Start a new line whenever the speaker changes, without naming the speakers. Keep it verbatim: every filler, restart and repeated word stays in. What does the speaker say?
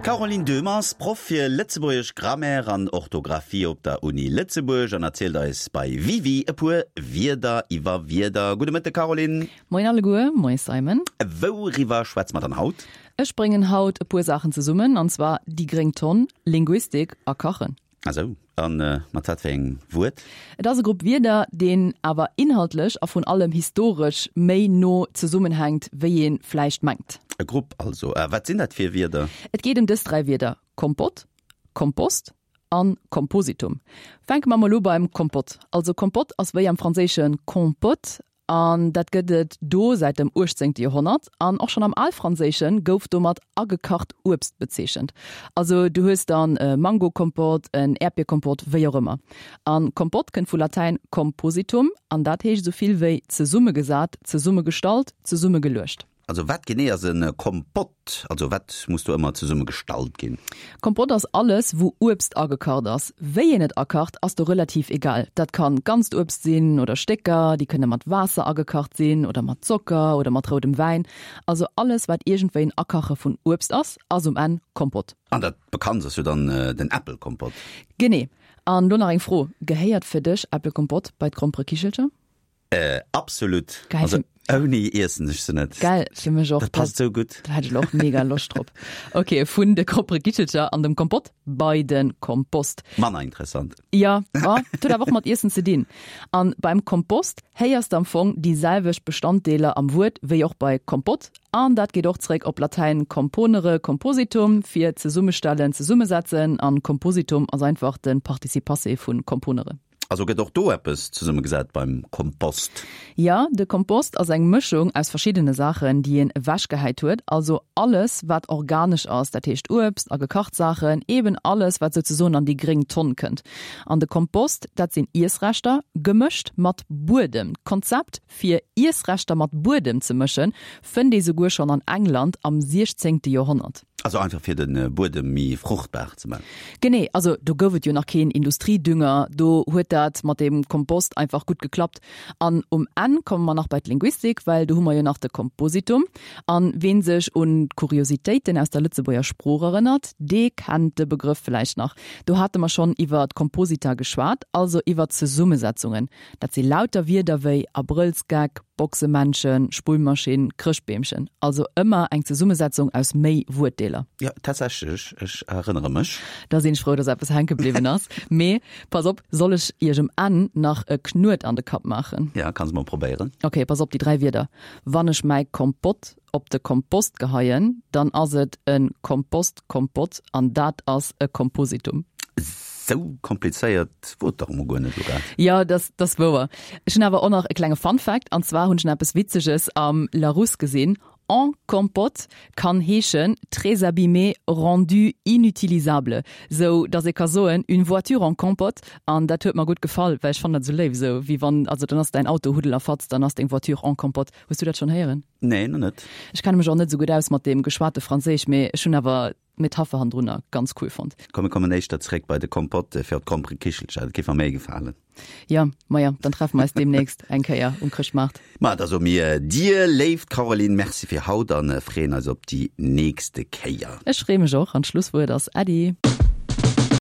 D'Caroline Döhmer ass Proff fir Lëtzebuergesch Grammaire an Orthografie op der Uni Lëtzebuerg an erzielt eis bei Wiwi e puer Wierder iwwer Wierder. Gudde Mëtte Caroline.
Moien alleguer, moie Simon.
Wouriwwer schwätze mer dann haut?
Ech bréngen haut e puer Saachen zesummen, an zwar déi gréng Tonn, Linguistik a Kachen.
Ah sou, a mat wat fir engem Wuert?
Et ass e Grupp Wierder, deen awer inhaltlech a vrun allem historesch méi no zesummenhänkt, wéi ee vläicht mengt.
E Grupp also. A wat sinn dat fir Wierder?
Et geet ëm dës dräi Wierder, Kompott, Kompost a Kompositum. Fänke mer mol u beim Kompott. Also Kompott ass wéi am Franséische compote An dat gëtt et do säit dem uechtzéngte Joerhonnert. An och schonn am Alfranséische gouf domat agekacht Uebst bezeechent. Also du hues dann e Mangokompott, en Äerdbierkompott, wéi och ëmmer. A Kompott kënnt vu Latäin compositum an dat heescht esou vill wéi zesummegesat, zesummegestallt, zesummegeluecht.
Also wat genee ass e Kompott? Also wat muss do ëmmer zesumme gestallt ginn?
Kompott ass alles wou Uebst agekacht ass. Wéi een et akacht ass do relativ egal. Dat kann ganzt Uebst sinn oder Stécker, déi kënne mat Waasser agekacht sinn oder mat Zocker oder mat roudem Wäin. Also alles wat iergendwéi en Akache vun Uebst ass, ass um Enn Kompott.
An dat bekanntst ass jo dann den Äppelkompott.
Genee. An lo nach eng Fro, Gehéiert fir dech Äppelkompott bei d'Gromperekichelcher?
Äh, absolut.
Geil.
Also, ouni iessen ech se net.
Geil, fir mech och.
Dat passt sou gutt.
Da hätt ech elo och mega Loscht drop. Ok, vun de Gromperekichelcher an dem Kompott bei de Kompost.
Manner interessant.
Ja, ma et huet awer och mat Iessen ze dinn. An beim Kompost héiers de am Fong déi selwecht Bestanddeeler am Wuert wéi och bei Kompott. An dat geet och zeréck op Latäin componere, compositum, fir zesummestellen, zesummesetzen. An compositum ass einfach de Participe passé vu componere.
Also gëtt och do eppes zesummegesat beim Kompost?
Jo, de Kompost ass eng Mëschung aus verschiddene Saachen, déi een ewechgehäit huet. Also alles, wat organesch ass, dat heescht Uebst a gekacht Saachen, eben alles, wat souzesoen an déi gréng Tonn kënnt. An de Kompost, dat sinn Iessreschter, gemëscht mat Buedem. D'Konzept, fir Iessreschter mat Buedem ze mëschen, fënnt ee souguer schonn an England am siechzéngte Joerhonnert.
Also einfach fir de Buedem méi fruchtbar ze man.
Genee, also do gouf et jo nach keen Industriedünger, do huet dat mat dem Kompost einfach gutt geklappt. An um Enn komme mer nach bei d'Linguistik, well do hu mer jo nach de Kompositum. An ween sech un d'Kuriositéiten aus der Lëtzebuerger Sprooch erënnert, dee kennt de Begrëff vläicht nach. Do hate mer schonn iwwer d'Komposita geschwat, also iwwer Zesummesetzungen. Dat si lauter Wierder wéi Abrëllsgeck, Boxemännchen, Spullmaschinn, Chrëschtbeemchen. Also ëmmer eng Zesummesetzung aus méi Wuertdeeler.
Jo, tatsächlech, ech erënnere mech.
Da sinn ech frou, dass eppes hänke bliwwen ass. Mee pass op, soll ech iech um Enn nach e Knuet an de Kapp maachen?
Ja, kanns mol probéieren.
Ok, pass op, déi dräi Wierder. Wann ech mäi Kompott op de Kompost geheien, dann ass et e Kompostkompott an dat ass e Kompositum.
Sou komplizéiert wor et dach emol guer net, Luca.
Jo, dat ass wouer. Ech hunn awer och nach e klenge Fun Fact, an zwar hunn ech nach eppes Witzeges am Larousse gesinn, En compote kann heeschen très abîmé, rendu inutilisable, sou datt ee ka soen une voiture en compote. An dat huet mer gutt gefall, well ech fannen dat sou léif, sou wéi wann, also dann ass däin Auto Huddel a Fatz, dann ass deng Voiture en compote. Hues du dat schonn héieren?
Nee, nach net.
Ech kenne mech och net sou gutt aus mat deem geschwate Franséisch, mee ech hunn awer d'Metapher hannendrunner ganz cool fonnt.
Komm mir kommen éischter zeréck bei de Kompott fir op d'Gromperekichelcher, dat géif mer méi gefalen.
Jo, maja, dann treffe mer eis deemnächst eng Kéier um Chrëschtmaart.
Ma da soe mir dir, léift Caroline, Merci fir haut an freeën eis op déi nächste Kéier.
Ech freeë mech och an d'Schlusswuert ass Äddi.